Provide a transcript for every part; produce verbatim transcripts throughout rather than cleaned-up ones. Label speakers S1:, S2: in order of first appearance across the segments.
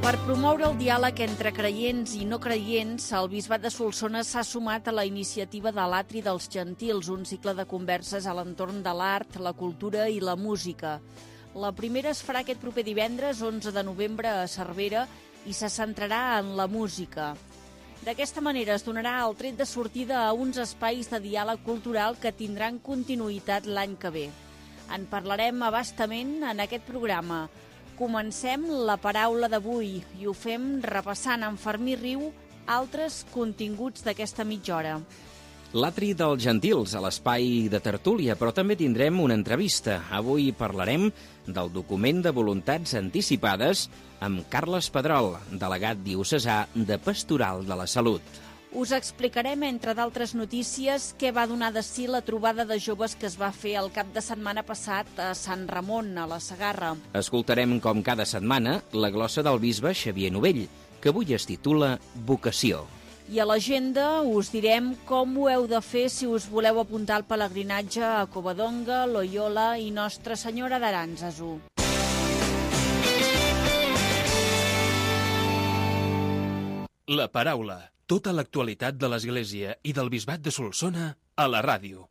S1: Per promoure el diàleg entre creients i no creients, el Bisbat de Solsona s'ha sumat a la iniciativa de l'Atri dels Gentils, un cicle de converses a l'entorn de l'art, la cultura i la música. La primera es farà aquest proper divendres, onze de novembre, a Cervera, i se centrarà en la música. D'aquesta manera es donarà el tret de sortida a uns espais de diàleg cultural que tindran continuïtat l'any que ve. En parlarem a bastament en aquest programa. Comencem la paraula d'avui i ho fem repassant amb Fermí Riu altres continguts d'aquesta mitja hora.
S2: L'Atri dels Gentils, a l'espai de tertúlia, però també tindrem una entrevista. Avui parlarem del document de voluntats anticipades amb Carles Pedrol, delegat diocesà de Pastoral de la Salut.
S1: Us explicarem, entre d'altres notícies, què va donar de si la trobada de joves que es va fer el cap de setmana passat a Sant Ramon, a la Segarra.
S2: Escoltarem, com cada setmana, la glossa del bisbe Xavier Novell, que avui es titula Vocació.
S1: I a l'agenda us direm com ho heu de fer si us voleu apuntar al pelegrinatge a Covadonga, Loyola i Nostra Senyora d'Arànzazu.
S3: La paraula. Tota l'actualitat de l'Església i del Bisbat de Solsona a la ràdio.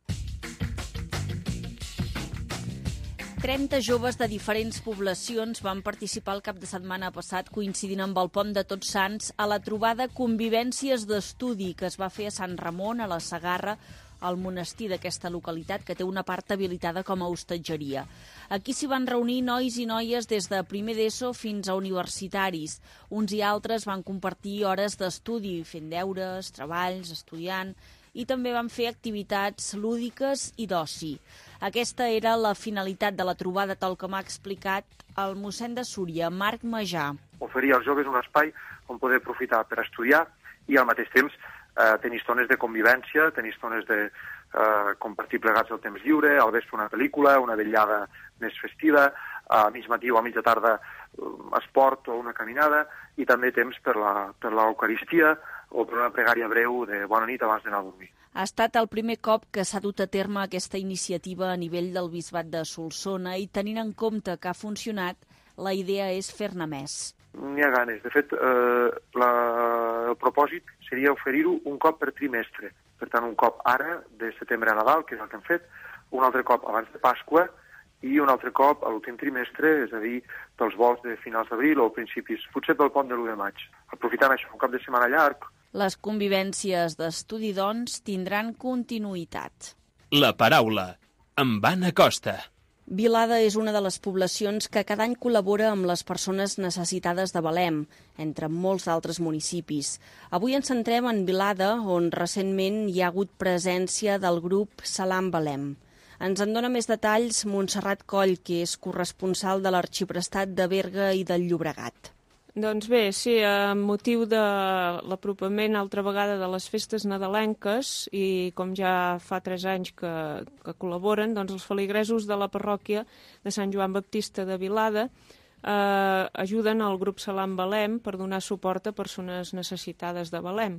S1: trenta joves de diferents poblacions van participar el cap de setmana passat, coincidint amb el Pont de Tots Sants, a la trobada Convivències d'Estudi, que es va fer a Sant Ramon, a la Segarra, al monestir d'aquesta localitat, que té una part habilitada com a hostatgeria. Aquí s'hi van reunir nois i noies des de primer d'ESO fins a universitaris. Uns i altres van compartir hores d'estudi, fent deures, treballs, estudiant, i també van fer activitats lúdiques i d'oci. Aquesta era la finalitat de la trobada, tal com ha explicat el mossèn de Súria, Marc Majà.
S4: Oferir als joves un espai on poder aprofitar per estudiar i al mateix temps eh, tenir estones de convivència, tenir estones de eh, compartir plegats el temps lliure, al vespre una pel·lícula, una vetllada més festiva, a mig matí o a mitja tarda esport o una caminada, i també temps per la, per l'Eucaristia o per una pregària breu de bona nit abans d'anar a dormir.
S1: Ha estat el primer cop que s'ha dut a terme aquesta iniciativa a nivell del Bisbat de Solsona i, tenint en compte que ha funcionat, la idea és fer-ne més.
S4: N'hi ha ganes. De fet, eh, la, el propòsit seria oferir-ho un cop per trimestre. Per tant, un cop ara, de setembre a Nadal, que és el que hem fet, un altre cop abans de Pasqua i un altre cop a l'últim trimestre, és a dir, pels vols de finals d'abril o principis, potser pel pont de l'u de maig. Aprofitant això, un cap de setmana llarg.
S1: Les convivències d'estudi, doncs, tindran continuïtat.
S3: La paraula. Amb Anna Costa.
S1: Vilada és una de les poblacions que cada any col·labora amb les persones necessitades de Belém, entre molts altres municipis. Avui ens centrem en Vilada, on recentment hi ha hagut presència del grup Salam Belém. Ens en dona més detalls Montserrat Coll, que és corresponsal de l'Arxiprestat de Berga i del Llobregat.
S5: Doncs bé, sí, amb motiu de l'apropament altra vegada de les festes nadalenques i com ja fa tres anys que, que col·laboren, doncs els feligresos de la parròquia de Sant Joan Baptista de Vilada eh, ajuden al grup Salam Belém per donar suport a persones necessitades de Belém.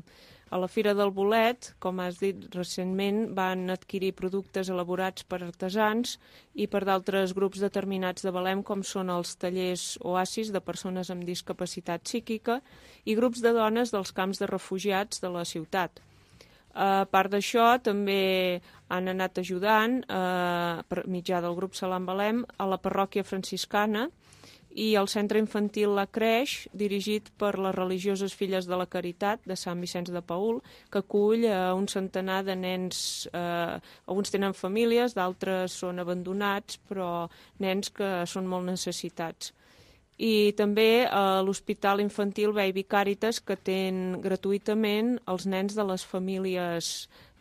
S5: A la Fira del Bolet, com has dit recentment, van adquirir productes elaborats per artesans i per d'altres grups determinats de Belém, com són els tallers oasis de persones amb discapacitat psíquica i grups de dones dels camps de refugiats de la ciutat. A part d'això, també han anat ajudant, eh, per mitjà del grup Salam Belém, a la parròquia franciscana i al centre infantil La Creix, dirigit per les religioses Filles de la Caritat de Sant Vicenç de Paül, que acull a un centenar de nens, eh, alguns tenen famílies, d'altres són abandonats, però nens que són molt necessitats. I també a l'Hospital Infantil Baby Càritas, que atén gratuïtament els nens de les famílies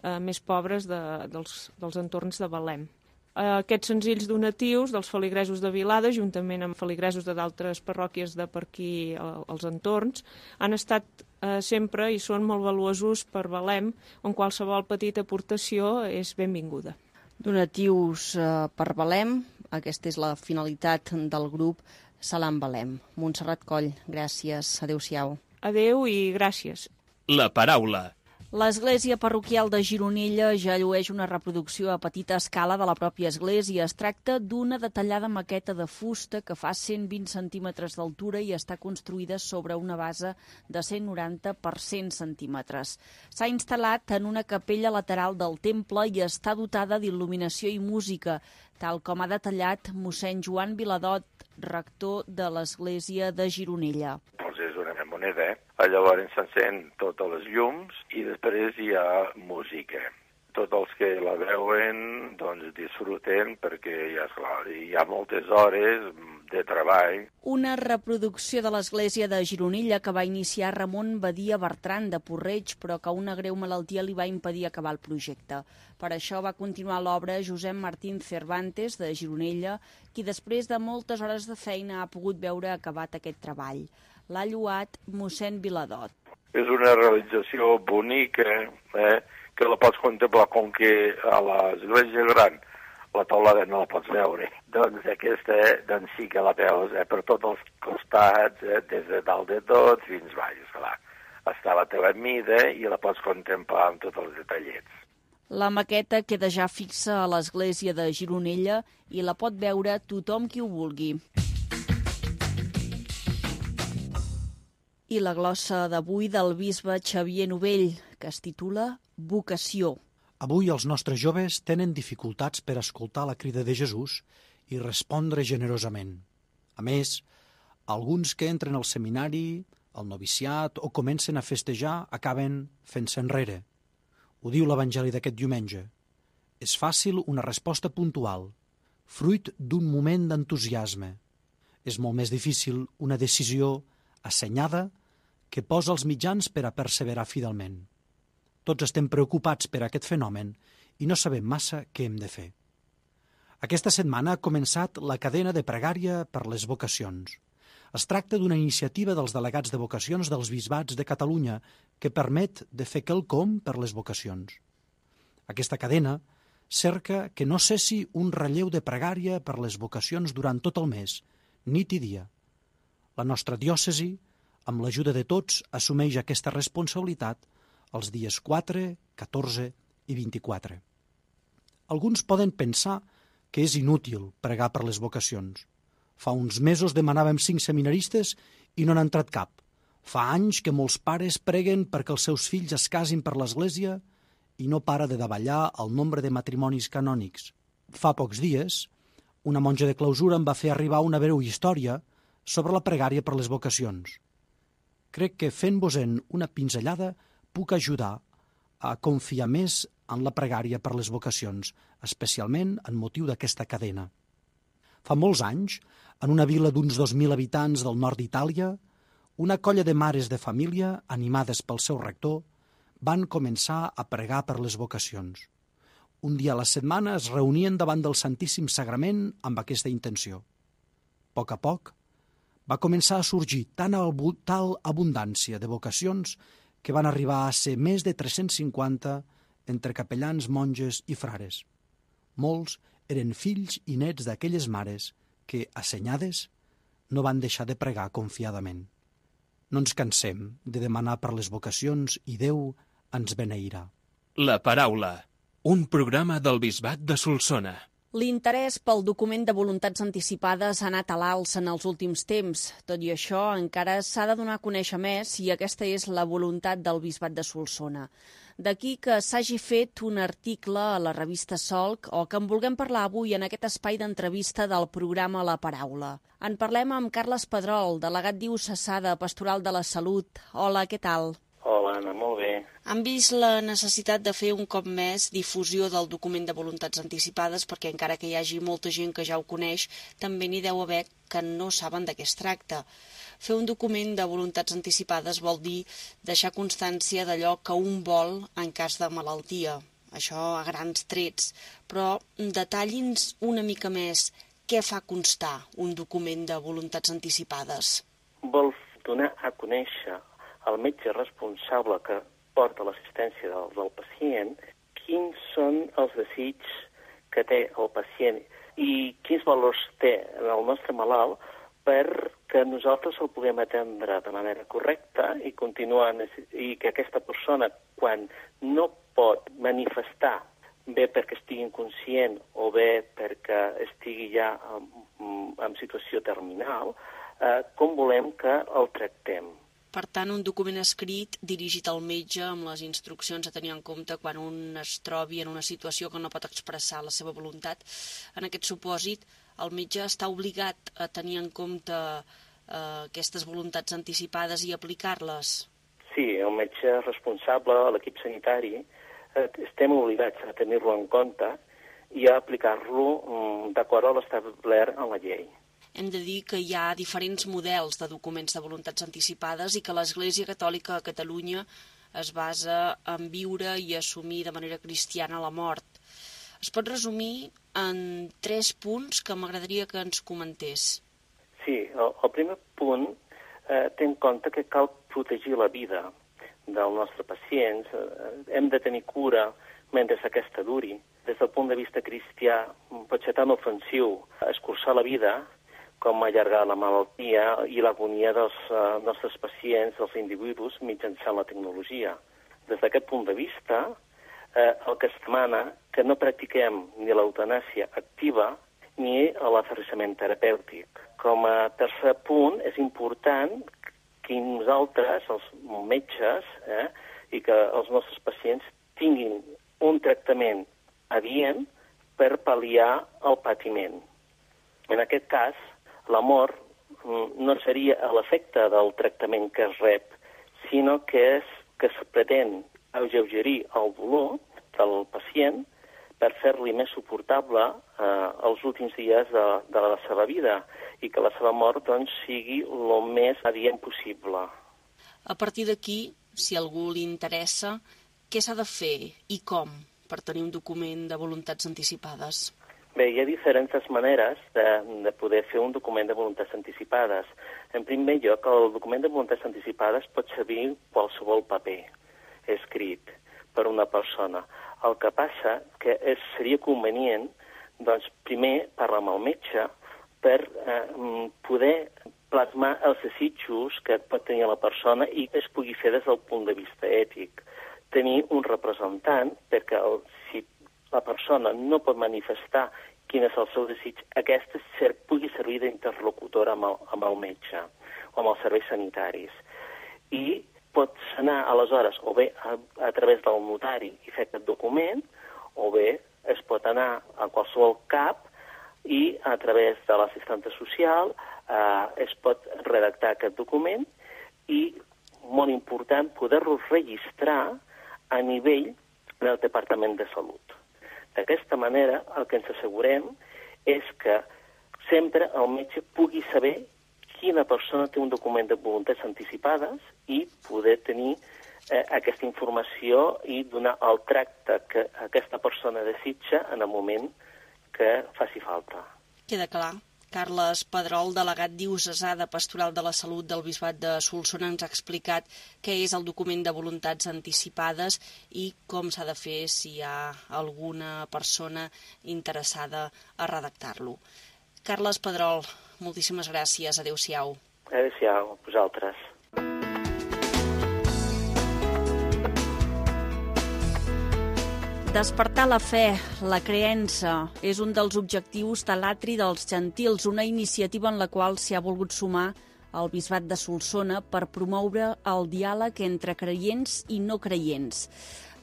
S5: eh, més pobres de, dels, dels entorns de Belém. Aquests senzills donatius dels feligresos de Vilada, juntament amb feligresos de d'altres parròquies de per aquí als entorns, han estat eh, sempre i són molt valuosos per Belém, on qualsevol petita aportació és benvinguda.
S1: Donatius eh, per Belém, aquesta és la finalitat del grup Salam Belém. Montserrat Coll, gràcies, adéu-siau.
S5: Adéu i gràcies.
S3: La paraula.
S1: L'església parroquial de Gironella ja llueix una reproducció a petita escala de la pròpia església. Es tracta d'una detallada maqueta de fusta que fa cent vint centímetres d'altura i està construïda sobre una base de cent noranta per cent centímetres. S'ha instal·lat en una capella lateral del temple i està dotada d'il·luminació i música, tal com ha detallat mossèn Joan Viladot, rector de l'església de Gironella.
S6: Doncs és una moneda, eh? Llavors s'encén totes les llums i després hi ha música. Tots els que la veuen doncs disfruten perquè ja, esclar, hi ha moltes hores de treball.
S1: Una reproducció de l'església de Gironella que va iniciar Ramon Badia Bertran de Porreig, però que una greu malaltia li va impedir acabar el projecte. Per això va continuar l'obra Josep Martín Cervantes de Gironella, qui després de moltes hores de feina ha pogut veure acabat aquest treball. L'ha lloat mossèn Viladot.
S6: És una realització bonica, eh? que la pots contemplar com que a l'església gran la taulada no la pots veure. Doncs aquesta doncs sí que la veus eh? per tots els costats, eh? des de dalt de tot fins baix, esclar. Està a la teva mida i la pots contemplar amb tots els detallets.
S1: La maqueta queda ja fixa a l'església de Gironella i la pot veure tothom qui ho vulgui. I la glossa d'avui del bisbe Xavier Novell, que es titula Vocació.
S7: Avui els nostres joves tenen dificultats per escoltar la crida de Jesús i respondre generosament. A més, alguns que entren al seminari, al noviciat o comencen a festejar acaben fent-se enrere. Ho diu l'Evangeli d'aquest diumenge. És fàcil una resposta puntual, fruit d'un moment d'entusiasme. És molt més difícil una decisió assenyada que posa els mitjans per a perseverar fidelment. Tots estem preocupats per aquest fenomen i no sabem massa què hem de fer. Aquesta setmana ha començat la cadena de pregària per les vocacions. Es tracta d'una iniciativa dels delegats de vocacions dels bisbats de Catalunya que permet de fer quelcom per les vocacions. Aquesta cadena cerca que no cessi un relleu de pregària per les vocacions durant tot el mes, nit i dia. La nostra diòcesi, amb l'ajuda de tots, assumeix aquesta responsabilitat els dies quatre, catorze i vint-i-quatre. Alguns poden pensar que és inútil pregar per les vocacions. Fa uns mesos demanàvem cinc seminaristes i no n'ha entrat cap. Fa anys que molts pares preguen perquè els seus fills es casin per l'Església i no para de davallar el nombre de matrimonis canònics. Fa pocs dies, una monja de clausura em va fer arribar una breu història sobre la pregària per les vocacions. Crec que fent-vos-en una pinzellada puc ajudar a confiar més en la pregària per les vocacions, especialment en motiu d'aquesta cadena. Fa molts anys, en una vila d'uns dos mil habitants del nord d'Itàlia, una colla de mares de família, animades pel seu rector, van començar a pregar per les vocacions. Un dia a la setmana es reunien davant del Santíssim Sagrament amb aquesta intenció. A poc a poc, va començar a sorgir tan tal abundància de vocacions que van arribar a ser més de tres-cents cinquanta entre capellans, monges i frares. Molts eren fills i nets d'aquelles mares que, assenyades, no van deixar de pregar confiadament. No ens cansem de demanar per les vocacions i Déu ens beneirà.
S3: La paraula, un programa del Bisbat de Solsona.
S1: L'interès pel document de voluntats anticipades ha anat a l'alça en els últims temps. Tot i això, encara s'ha de donar a conèixer més i aquesta és la voluntat del Bisbat de Solsona. D'aquí que s'hagi fet un article a la revista Solc o que en vulguem parlar avui en aquest espai d'entrevista del programa La Paraula. En parlem amb Carles Pedrol, delegat diocesà de Pastoral de la Salut. Hola, què tal?
S8: Hola, Anna, molt bé.
S1: Han vist la necessitat de fer un cop més difusió del document de voluntats anticipades perquè encara que hi hagi molta gent que ja ho coneix, també n'hi deu haver que no saben de què es tracta. Fer un document de voluntats anticipades vol dir deixar constància d'allò que un vol en cas de malaltia. Això a grans trets. Però detalli'ns una mica més què fa constar un document de voluntats anticipades.
S8: Vol donar a conèixer al metge responsable que porta l'assistència del, del pacient quins són els desitjos que té el pacient i quins valors té en el nostre malalt per que nosaltres el puguem atendre de manera correcta i continuar, i que aquesta persona, quan no pot manifestar, bé perquè estigui inconscient o bé perquè estigui ja en, en situació terminal, eh, com volem que el tractem.
S9: Per tant, un document escrit dirigit al metge amb les instruccions a tenir en compte quan un es trobi en una situació que no pot expressar la seva voluntat. En aquest supòsit, el metge està obligat a tenir en compte eh, aquestes voluntats anticipades i aplicar-les?
S8: Sí, el metge responsable, l'equip sanitari, eh, estem obligats a tenir-lo en compte i a aplicar-lo mm, d'acord a l'establert en la llei.
S9: Hem de dir que hi ha diferents models de documents de voluntats anticipades i que l'Església Catòlica a Catalunya es basa en viure i assumir de manera cristiana la mort. Es pot resumir en tres punts que m'agradaria que ens comentés.
S8: Sí, el, el primer punt eh, té en compte que cal protegir la vida del nostre pacient. Eh, hem de tenir cura mentre aquesta duri. Des del punt de vista cristià pot ser tan ofensiu escurçar la vida com allargar la malaltia i l'agonia dels eh, nostres pacients, dels individus, mitjançant la tecnologia. Des d'aquest punt de vista, eh, el que es demana que no practiquem ni l'eutanàsia activa ni l'aferrissament terapèutic. Com a tercer punt, és important que nosaltres, els metges, eh, i que els nostres pacients tinguin un tractament adient per pal·liar el patiment. En aquest cas, la mort no seria l'efecte del tractament que es rep, sinó que, és, que es pretén alleugerir el dolor del pacient per fer-li més suportable eh, els últims dies de, de la seva vida i que la seva mort doncs, sigui el més adient possible.
S9: A partir d'aquí, si a algú li interessa, què s'ha de fer i com per tenir un document de voluntats anticipades?
S8: Bé, hi ha diferents maneres de, de poder fer un document de voluntats anticipades. En primer lloc, el document de voluntats anticipades pot servir qualsevol paper escrit per una persona. El que passa que és, seria convenient, doncs, primer parlar amb el metge per eh, poder plasmar els desitjos que pot tenir la persona i es pugui fer des del punt de vista ètic. Tenir un representant perquè el, si la persona no pot manifestar quin és el seu desig, aquesta ser, pugui servir d'interlocutora amb, el, amb el metge o amb els serveis sanitaris. I pots anar, aleshores, o bé a, a través del notari i fer aquest document, o bé es pot anar a qualsevol cap i a través de l'assistenta social eh, es pot redactar aquest document i, molt important, poder-lo registrar a nivell del Departament de Salut. D'aquesta manera, el que ens assegurem és que sempre el metge pugui saber quina persona té un document de voluntats anticipades i poder tenir eh, aquesta informació i donar el tracte que aquesta persona desitja en el moment que faci falta.
S9: Queda clar. Carles Pedrol, delegat diocesà de Pastoral de la Salut del Bisbat de Solsona, ens ha explicat què és el document de voluntats anticipades i com s'ha de fer si hi ha alguna persona interessada a redactar-lo. Carles Pedrol, moltíssimes gràcies. Adéu-siau.
S8: Adéu-siau, vosaltres.
S1: Despertar la fe, la creença, és un dels objectius de l'Atri dels Gentils, una iniciativa en la qual s'hi ha volgut sumar el Bisbat de Solsona per promoure el diàleg entre creients i no creients.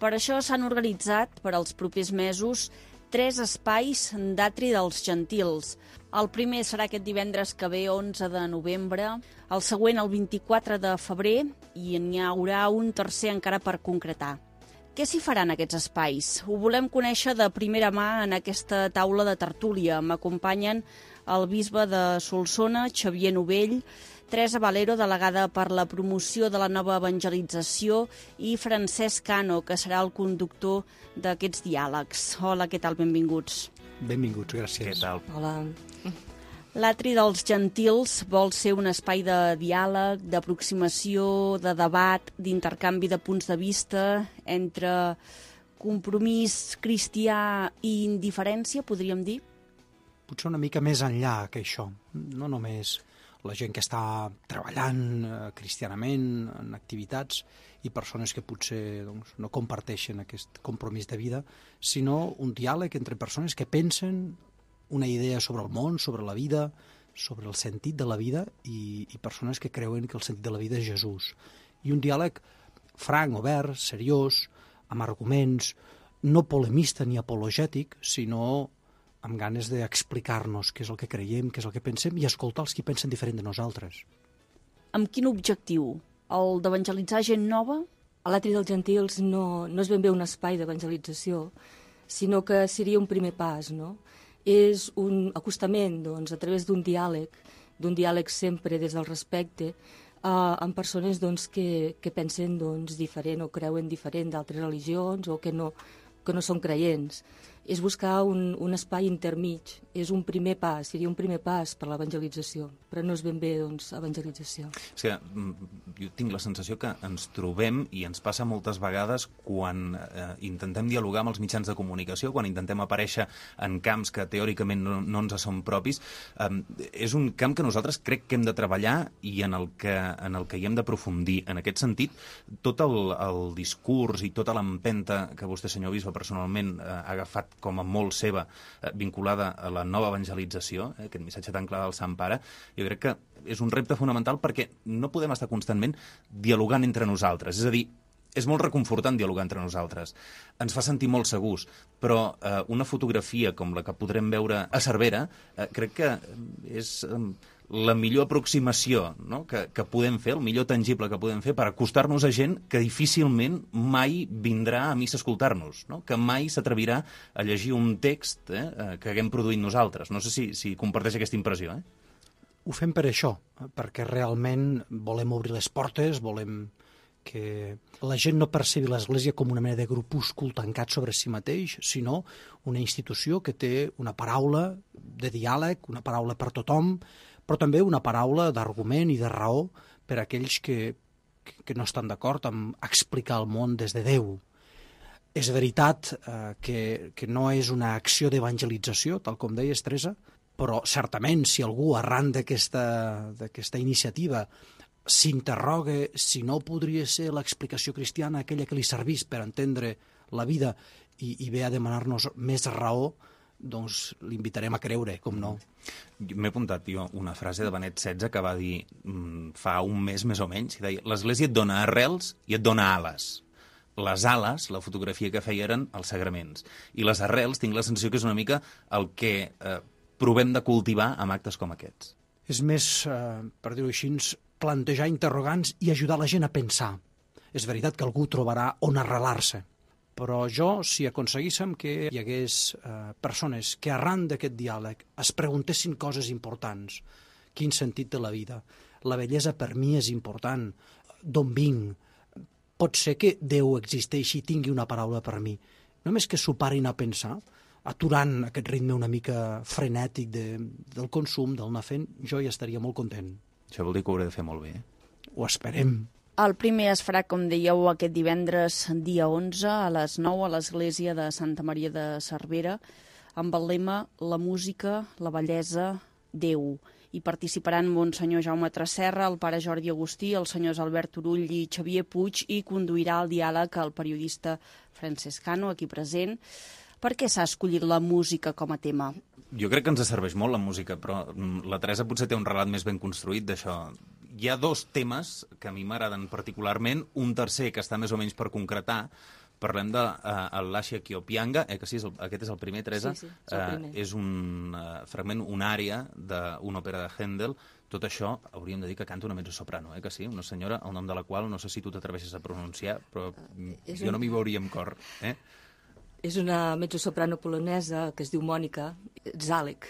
S1: Per això s'han organitzat, per als propers mesos, tres espais d'Atri dels Gentils. El primer serà aquest divendres que ve, onze de novembre, el següent el vint-i-quatre de febrer i n'hi haurà un tercer encara per concretar. Què s'hi farà en aquests espais? Ho volem conèixer de primera mà en aquesta taula de tertúlia. M'acompanyen el bisbe de Solsona, Xavier Novell, Teresa Valero, delegada per la promoció de la nova evangelització, i Francesc Cano, que serà el conductor d'aquests diàlegs. Hola, què tal? Benvinguts.
S7: Benvinguts, gràcies.
S10: Què tal?
S9: Hola. L'Atri dels Gentils vol ser un espai de diàleg, d'aproximació, de debat, d'intercanvi de punts de vista entre compromís cristià i indiferència, podríem dir?
S7: potser una mica més enllà que això. No només la gent que està treballant eh, cristianament en activitats i persones que potser doncs, no comparteixen aquest compromís de vida, sinó un diàleg entre persones que pensen una idea sobre el món, sobre la vida, sobre el sentit de la vida i, i persones que creuen que el sentit de la vida és Jesús. I un diàleg franc, obert, seriós, amb arguments, no polemista ni apologètic, sinó amb ganes d'explicar-nos què és el que creiem, què és el que pensem i escoltar els que pensen diferent de nosaltres.
S1: Amb quin objectiu? El d'evangelitzar gent nova?
S10: A l'Atri dels Gentils no, no és ben bé un espai d'evangelització, sinó que seria un primer pas, no? És un acostament, doncs, a través d'un diàleg, d'un diàleg sempre des del respecte, eh, amb persones doncs, que, que pensen doncs, diferent o creuen diferent d'altres religions o que no, que no són creients. És buscar un, un espai intermig, és un primer pas, seria un primer pas per l'evangelització, però no és ben bé doncs, evangelització.
S11: És que jo tinc la sensació que ens trobem, i ens passa moltes vegades, quan eh, intentem dialogar amb els mitjans de comunicació, quan intentem aparèixer en camps que teòricament no, no ens són propis, eh, és un camp que nosaltres crec que hem de treballar i en el que, en el que hi hem d'aprofundir. En aquest sentit, tot el, el discurs i tota l'empenta que vostè, senyor bisbe, personalment eh, ha agafat com a molt seva, eh, vinculada a la nova evangelització, eh, aquest missatge tan clar del Sant Pare, jo crec que és un repte fonamental perquè no podem estar constantment dialogant entre nosaltres. És a dir, és molt reconfortant dialogar entre nosaltres. Ens fa sentir molt segurs, però eh, una fotografia com la que podrem veure a Cervera eh, crec que és eh, la millor aproximació, no? que, que podem fer, el millor tangible que podem fer per acostar-nos a gent que difícilment mai vindrà a missa a escoltar-nos, no? Que mai s'atrevirà a llegir un text eh, que haguem produït nosaltres. No sé si, si comparteix aquesta impressió. Eh?
S7: Ho fem per això, perquè realment volem obrir les portes, volem que la gent no percebi l'Església com una mena de grupúscul tancat sobre si mateix, sinó una institució que té una paraula de diàleg, una paraula per tothom, però també una paraula d'argument i de raó per a aquells que, que no estan d'acord amb explicar el món des de Déu. És veritat eh, que, que no és una acció d'evangelització, tal com deies, Teresa, però certament si algú arran d'aquesta d'aquesta iniciativa s'interroga si no podria ser l'explicació cristiana aquella que li servís per entendre la vida i, i ve a demanar-nos més raó, doncs l'invitarem a creure, com no.
S11: M'he apuntat jo una frase de Benet setze que va dir mm, fa un mes més o menys, i deia: l'Església et dona arrels i et dona ales. Les ales, la fotografia que feia, eren els sagraments. I les arrels, tinc la sensació que és una mica el que eh, provem de cultivar amb actes com aquests.
S7: És més, eh, per dir-ho així, plantejar interrogants i ajudar la gent a pensar. És veritat que algú trobarà on arrelar-se, però jo, si aconseguíssim que hi hagués eh, persones que arran d'aquest diàleg es preguntessin coses importants, quin sentit té la vida, la bellesa per mi és important, d'on vinc, pot ser que Déu existeixi i tingui una paraula per mi. Només que s'ho parin a pensar, aturant aquest ritme una mica frenètic de, del consum, del anar fent, jo ja estaria molt content.
S11: Això vol dir que ho hauré de fer molt bé, eh?
S7: Ho esperem.
S1: El primer es farà, com dèieu, aquest divendres, dia onze, a les nou, a l'església de Santa Maria de Cervera, amb el lema La música, la bellesa, Déu. Hi participaran Monsenyor Jaume Tresserra, el pare Jordi Agustí, els senyors Albert Turull i Xavier Puig, i conduirà el diàleg el periodista Francesc Cano, aquí present. Per què s'ha escollit la música com a tema?
S11: Jo crec que ens serveix molt la música, però la Teresa potser té un relat més ben construït d'això. Hi ha dos temes que a mi m'agraden particularment, un tercer que està més o menys per concretar. Parlem de uh, l'Àsia Kiopianga, eh, que sí, és el, aquest és el primer, Teresa.
S10: Sí, sí, és el primer.
S11: Uh, és un uh, fragment, una àrea d'una òpera de Händel. Tot això hauríem de dir que canta una mezzosoprano, eh, que sí? Una senyora, el nom de la qual no sé si tu t'atreveixes a pronunciar, però uh, jo un... no m'hi veuria amb cor, eh?
S10: És una mezzosoprano polonesa que es diu Mònica Zalek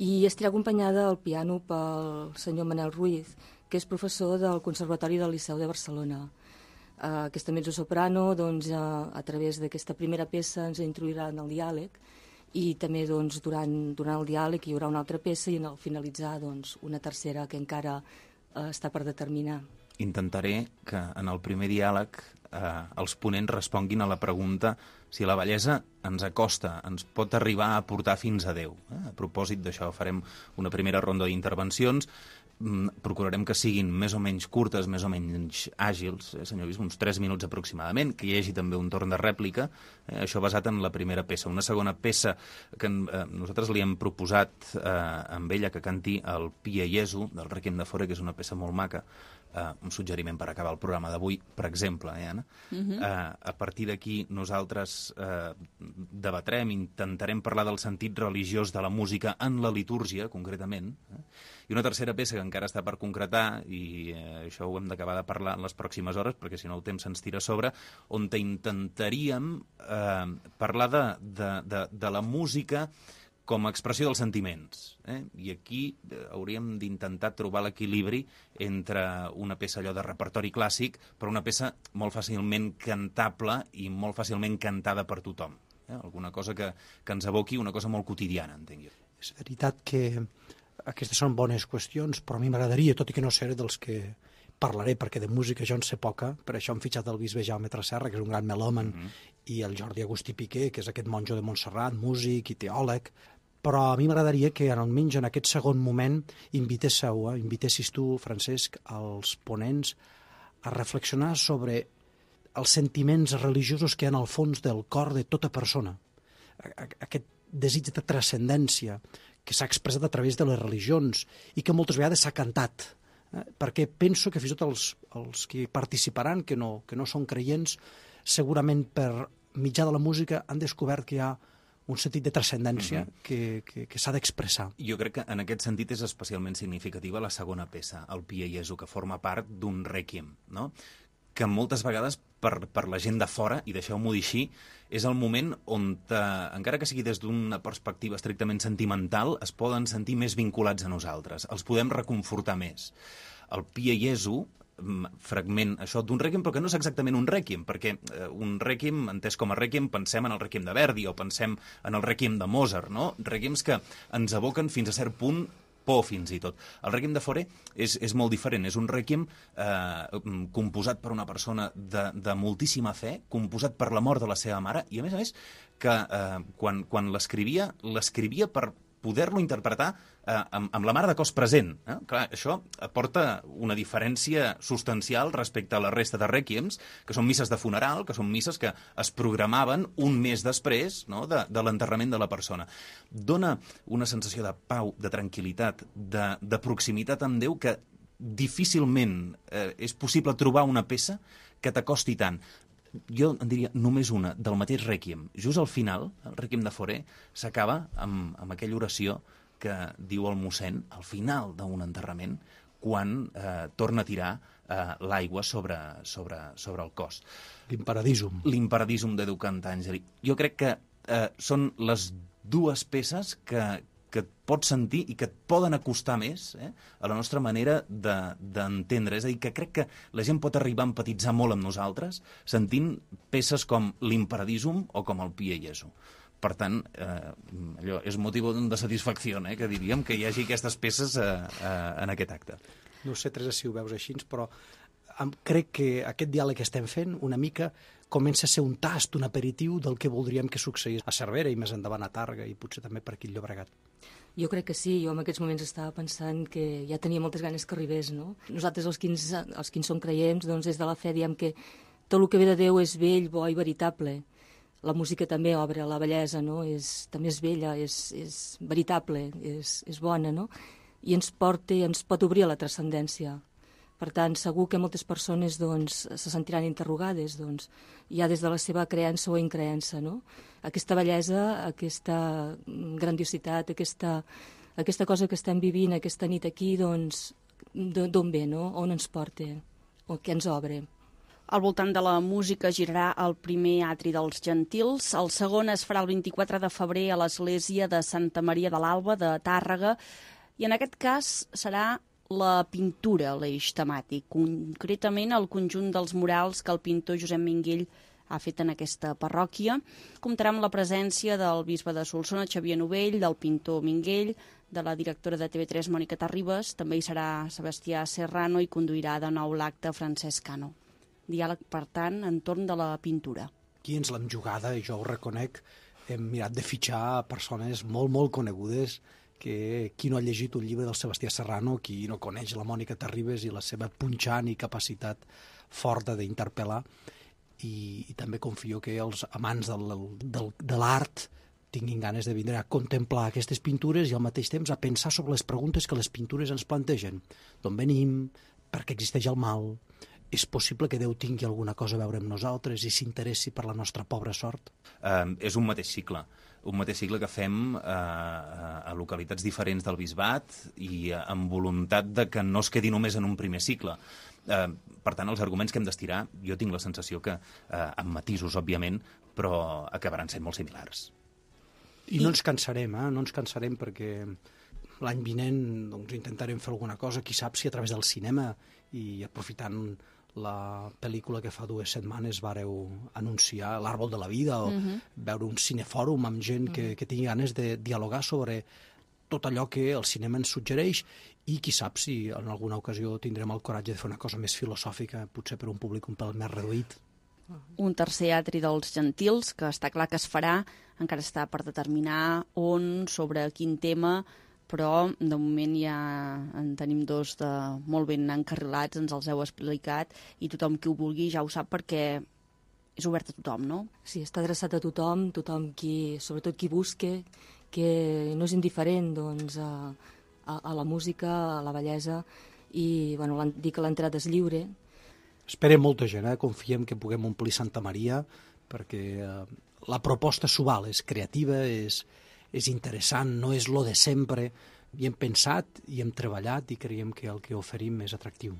S10: i estarà acompanyada al piano pel senyor Manel Ruiz, que és professor del Conservatori del Liceu de Barcelona. Uh, aquesta mezzosoprano, doncs, uh, a través d'aquesta primera peça ens introduirà en el diàleg i també doncs, durant, durant el diàleg hi haurà una altra peça i en el finalitzar doncs, una tercera que encara uh, està per determinar.
S11: Intentaré que en el primer diàleg eh, els ponents responguin a la pregunta si la bellesa ens acosta, ens pot arribar a portar fins a Déu. Eh? A propòsit d'això farem una primera ronda d'intervencions. Procurarem que siguin més o menys curtes, més o menys àgils, eh, senyor Bisbe, uns tres minuts aproximadament, que hi hagi també un torn de rèplica, eh, això basat en la primera peça. Una segona peça que eh, nosaltres li hem proposat eh, amb ella que canti el Pie Jesu, del Requiem de Fore, que és una peça molt maca, eh, un suggeriment per acabar el programa d'avui, per exemple, eh, Anna? Uh-huh. eh, a partir d'aquí nosaltres eh, debatrem, intentarem parlar del sentit religiós de la música en la litúrgia, concretament, eh? I una tercera peça que encara està per concretar, i eh, això ho hem d'acabar de parlar en les pròximes hores, perquè si no el temps se'ns tira a sobre, on intentaríem eh, parlar de, de, de, de la música com a expressió dels sentiments. Eh? I aquí eh, hauríem d'intentar trobar l'equilibri entre una peça allò de repertori clàssic, però una peça molt fàcilment cantable i molt fàcilment cantada per tothom. Eh? Alguna cosa que, que ens evoqui una cosa molt quotidiana, entenc jo.
S7: És veritat que aquestes són bones qüestions, però a mi m'agradaria, tot i que no seré dels que parlaré, perquè de música jo en sé poca, per això hem fitxat el bisbe Jaume Tresserra, que és un gran melòman, mm-hmm. i el Jordi Agustí Piqué, que és aquest monjo de Montserrat, músic i teòleg, però a mi m'agradaria que almenys en aquest segon moment invitéssiu, eh, invitessis tu, Francesc, als ponents a reflexionar sobre els sentiments religiosos que hi ha al fons del cor de tota persona. Aquest desig de transcendència que s'ha expressat a través de les religions i que moltes vegades s'ha cantat. Eh? Perquè penso que fins i tot els, els que participaran, que no, que no són creients, segurament per mitjà de la música han descobert que hi ha un sentit de transcendència mm-hmm. que, que, que s'ha d'expressar.
S11: Jo crec que en aquest sentit és especialment significativa la segona peça, el Pie Jesu, que forma part d'un rèquiem, no? Que moltes vegades per, per la gent de fora, i deixeu-m'ho dir així, és el moment on, eh, encara que sigui des d'una perspectiva estrictament sentimental, es poden sentir més vinculats a nosaltres, els podem reconfortar més. El Pie Jesu, fragment això d'un rèquiem, però que no és exactament un rèquiem, perquè eh, un rèquiem, entès com a rèquiem, pensem en el rèquiem de Verdi o pensem en el rèquiem de Mozart, no? Rèquiems que ens evoquen fins a cert punt por, fins i tot. El Requiem de Fore és, és molt diferent. És un Requiem eh, composat per una persona de, de moltíssima fe, composat per la mort de la seva mare, i a més a més que eh, quan, quan l'escrivia, l'escrivia per poder-lo interpretar eh, amb, amb la mare de cos present. Eh? Clar, això aporta una diferència substancial respecte a la resta de rèquiems, que són misses de funeral, que són misses que es programaven un mes després, no?, de, de l'enterrament de la persona. Dona una sensació de pau, de tranquil·litat, de, de proximitat amb Déu que difícilment eh, és possible trobar una peça que t'acosti tant. Jo en diria només una, del mateix Rèquiem. Just al final, el Rèquiem de Fore s'acaba amb, amb aquella oració que diu el mossèn al final d'un enterrament, quan eh, torna a tirar eh, l'aigua sobre, sobre, sobre el cos.
S7: L'Imperadisum.
S11: L'Imperadisum de Duc Antàngeli. Jo crec que eh, són les dues peces que, que et pots sentir i que et poden acostar més eh, a la nostra manera d'entendre. De, és a dir, que crec que la gent pot arribar a empatitzar molt amb nosaltres sentint peces com l'Imperadisum o com el Pie Jesu. Per tant, eh, allò és motiu de satisfacció, eh, que diríem que hi hagi aquestes peces eh, eh, en aquest acte.
S7: No sé, Teresa, si ho veus així, però crec que aquest diàleg que estem fent una mica comença a ser un tast, un aperitiu del que voldríem que succeís a Cervera i més endavant a Tàrrega i potser també per aquí al Llobregat.
S10: Jo crec que sí, jo en aquests moments estava pensant que ja tenia moltes ganes que arribés, no? Nosaltres, els que, ens, els que en som creients, doncs des de la fe diem que tot el que ve de Déu és vell, bo i veritable. La música també obre la bellesa, no? És, també és vella, és, és veritable, és, és bona, no? I ens porta, ens pot obrir a la transcendència. Per tant, segur que moltes persones doncs, se sentiran interrogades doncs, ja des de la seva creença o increença. No? Aquesta bellesa, aquesta grandiositat, aquesta, aquesta cosa que estem vivint aquesta nit aquí, doncs, d'on ve, no? On ens porta, o què ens obre.
S1: Al voltant de la música girarà el primer atri dels Gentils, el segon es farà el vint-i-quatre de febrer a l'església de Santa Maria de l'Alba de Tàrrega, i en aquest cas serà la pintura, l'eix temàtic, concretament el conjunt dels murals que el pintor Josep Minguell ha fet en aquesta parròquia. Comptarà amb la presència del bisbe de Solsona, Xavier Novell, del pintor Minguell, de la directora de T V tres, Mònica Terribas, també hi serà Sebastià Serrano i conduirà de nou l'acte Francesc Cano.
S9: diàleg, per tant, entorn de la pintura.
S7: Aquí ens l'hem jugada, i jo ho reconec, hem mirat de fitxar persones molt, molt conegudes, que qui no ha llegit un llibre del Sebastià Serrano, qui no coneix la Mònica Terribas i la seva punxant i capacitat forta d'interpel·lar, i, i també confio que els amants del, del, de l'art tinguin ganes de vindre a contemplar aquestes pintures i al mateix temps a pensar sobre les preguntes que les pintures ens plantegen. D'on venim? Per què existeix el mal? És possible que Déu tingui alguna cosa a veure amb nosaltres i s'interessi per la nostra pobra sort?
S11: Uh, és un mateix cicle. Un mateix cicle que fem uh, a localitats diferents del Bisbat i uh, amb voluntat de que no es quedi només en un primer cicle. Uh, per tant, els arguments que hem d'estirar, jo tinc la sensació que, uh, amb matisos, òbviament, però acabaran sent molt similars.
S7: I no ens cansarem, eh? No ens cansarem perquè l'any vinent doncs, intentarem fer alguna cosa, qui sap si a través del cinema i aprofitant la pel·lícula que fa dues setmanes vareu anunciar, l'Àrbol de la Vida, o uh-huh. veure un cinefòrum amb gent uh-huh. que, que tingui ganes de dialogar sobre tot allò que el cinema ens suggereix i qui sap si en alguna ocasió tindrem el coratge de fer una cosa més filosòfica, potser per un públic un pèl més reduït.
S1: Un tercer atri dels Gentils, que està clar que es farà, encara està per determinar on, sobre quin tema, però de moment ja en tenim dos de molt ben encarrilats, ens els heu explicat, i tothom qui ho vulgui ja ho sap perquè és obert a tothom, no?
S10: Sí, està adreçat a tothom, tothom qui, sobretot qui busque, que no és indiferent doncs, a, a, a la música, a la bellesa, i bueno, dir que l'entrada és lliure.
S7: Esperem molta gent, eh? Confiem que puguem omplir Santa Maria, perquè eh, la proposta s'ho val, és creativa, és, és interessant, no és lo de sempre. Hi hem pensat i hem treballat i creiem que el que oferim és atractiu.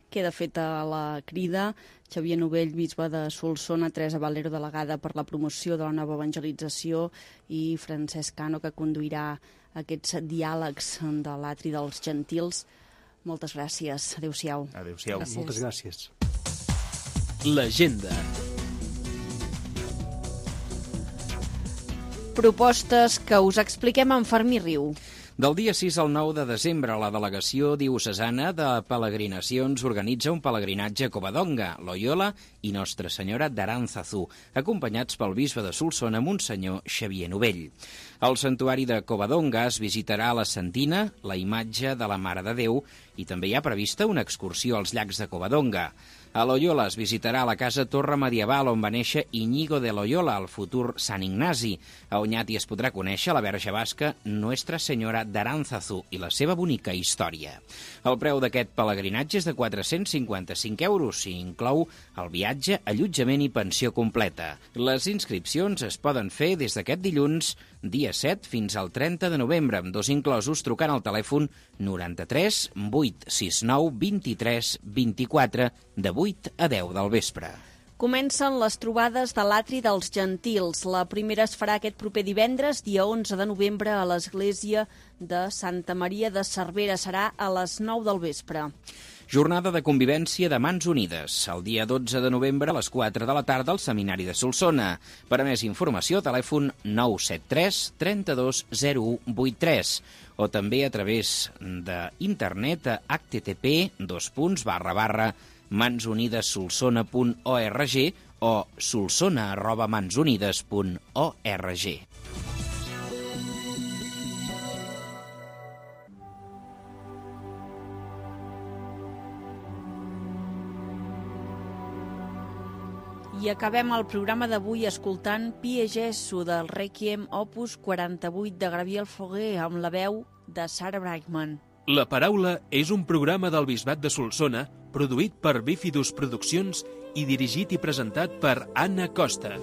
S1: Queda feta la crida. Xavier Novell, bisbe de Solsona, Teresa Valero, delegada per la promoció de la nova evangelització, i Francesc Cano, que conduirà aquests diàlegs de l'atri dels Gentils. Moltes gràcies. Adéu-siau.
S11: Adéu-siau.
S7: Gràcies. Moltes gràcies.
S3: L'agenda.
S1: Propostes que us expliquem en Fermí Riu.
S2: Del dia sis al nou de desembre, la delegació diocesana de peregrinacions organitza un pelegrinatge a Covadonga, Loyola i Nostra Senyora d'Aránzazu, acompanyats pel bisbe de Solsona, Monsenyor Xavier Novell. Al santuari de Covadonga es visitarà la Santina, la imatge de la Mare de Déu, i també hi ha prevista una excursió als llacs de Covadonga. A Loyola es visitarà la casa torre medieval on va néixer Íñigo de Loyola, el futur Sant Ignasi. A Oñati es podrà conèixer la verge basca Nuestra Senyora d'Aránzazu i la seva bonica història. El preu d'aquest pelegrinatge és de quatre-cents cinquanta-cinc euros i inclou el viatge, allotjament i pensió completa. Les inscripcions es poden fer des d'aquest dilluns, dia set, fins al trenta de novembre, amb dos inclosos, trucant al telèfon noranta-tres vuit sis nou vint-i-tres vint-i-quatre de vuit a deu del vespre.
S1: Comencen les trobades de l'atri dels Gentils. La primera es farà aquest proper divendres, dia onze de novembre, a l'església de Santa Maria de Cervera. Serà a les nou del vespre.
S2: Jornada de convivència de Mans Unides, el dia dotze de novembre a les quatre de la tarda al Seminari de Solsona. Per a més informació, telèfon nou set tres trenta-dos zero u vuitanta-tres o també a través d'internet a h t t p dos punts barra barra mansunidesolsona punt org o solsona arroba mansunides punt org.
S1: I acabem el programa d'avui escoltant Pie Jesu del Requiem opus quaranta-vuit de Gabriel Fauré amb la veu de Sarah Brightman.
S3: La Paraula és un programa del Bisbat de Solsona produït per Bífidus Produccions i dirigit i presentat per Anna Costa.